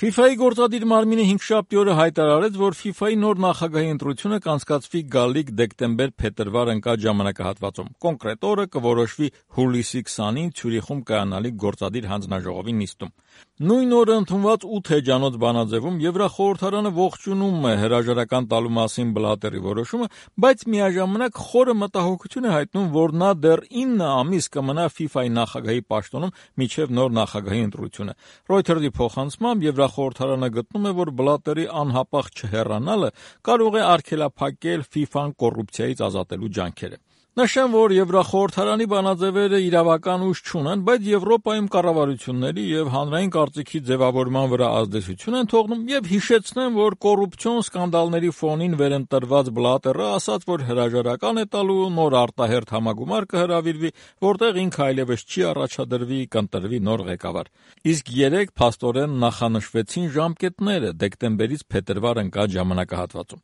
FIFA-ի գործադիր մարմինը հինգշաբթի օրը հայտարարեց, որ FIFA-ի նոր նախագահի ընտրությունը կանցկացվի գալիք դեկտեմբեր-փետրվար ընկած ժամանակահատվածում։ Կոնկրետ օրը կորոշվի հուլիսի 20-ին Ցյուրիխում կայանալիք գործադիր հանձնաժողովի նիստում։ Նույն օրը ընդունված 8 էջանոց բանաձևում Եվրախորհրդարանը ողջունում է հրաժարական տալու մասին Բլատերի որոշումը, բայց միաժամանակ խորը մտահոգություն է հայտնում, որ նա դեռ 9 ամիս կմնա FIFA-ի նախագահի պաշտոնում մինչև նոր նախագահի ընտրությունը։ Reuters-ի փոխանցմամբ Եվրախորհրդարանը գտնում է, որ Բլատերի անհապաղ չհեռանալը կարող է արգելափակել FIFA-ն կոռուպցիայից ազատելու ջանքերը։ Նշեմ, որ Եվրախորհրդարանի բանաձևերը իրավական ուժ չունեն, բայց Եվրոպայում կառավարությունների եւ հանրային կարծիքի ձևավորման վրա ազդեցություն են թողնում եւ հիշեցնեմ, որ կոռուպցիոն սկանդալների ֆոնին վերընտրված Բլատերը ասաց, որ հրաժարական է տալու, նոր արտահերթ համագումար կհրավիրվի, որտեղ ինքը այլևս չի առաջադրվի, կընտրվի նոր ղեկավար։ Իսկ 3 փաստորեն նախանշվեցին ժամկետները դեկտեմբերից փետրվար ընկած ժամանակահատվածում։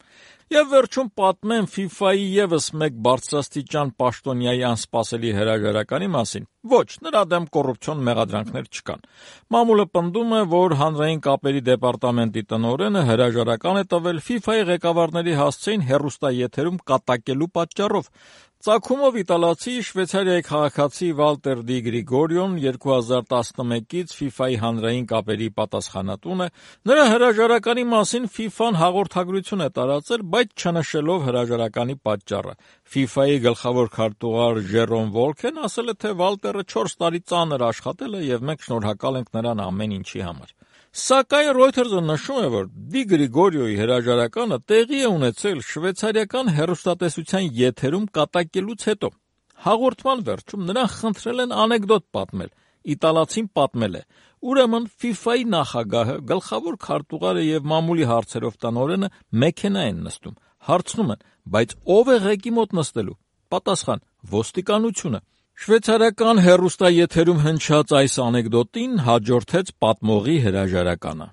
Եվ վերջում պատմեմ FIFA-ի եւս մեկ բարձրաստիճան պաշտոնյայի անսպասելի հրաժարականի մասին։ Ոչ, նրա դեմ կոռուպցիոն մեղադրանքներ չկան։ Մամուլը պնդում է, որ հանրային կապերի դեպարտամենտի տնօրենը հրաժարական է տվել FIFA-ի ղեկավարների հասցեին հեռուստաեթերում կատակելու պատճառով։ Ծագումով իտալացի Շվեյցարիայի քաղաքացի Վալտեր Դի Գրիգորիոն 2011-ից FIFA-ի հանրային կապերի պատասխանատուն է։ Նրա հրաժարականի մասին FIFA-ն հաղորդագրություն է տարածել, բայց չնշելով հրաժարականի պատճառը։ FIFA-ի գլխավոր քարտուղար Ժերոմ Վոլքեն ասել է, թե Վալտերը 4 տարի ծանր աշխատել է եւ մենք շնորհակալ ենք նրան ամեն ինչի համար։ Սակայն Reuters-ը նշում է, որ Դի Գրիգորիոյի հրաժարականը տեղի է ունեցել շվեյցարիական հեռուստատեսության եթերում կատակելուց հետո։ Հաղորդման վերջում նրան խնդրել են անեկդոտ պատմել։ Իտալացին պատմել է. ուրեմն FIFA-ի նախագահը, գլխավոր քարտուղարը եւ մամուլի հարցերով տնօրենը մեքենա են նստում։ Հարցնում են, բայց ով է ղեկի մոտ նստելու։ Պատասխան. ոստիկանությունը։ Շվեյցարիական հեռուստաեթերում հնչած այս անեկդոտին հաջորդեց պատմողի հրաժարականը։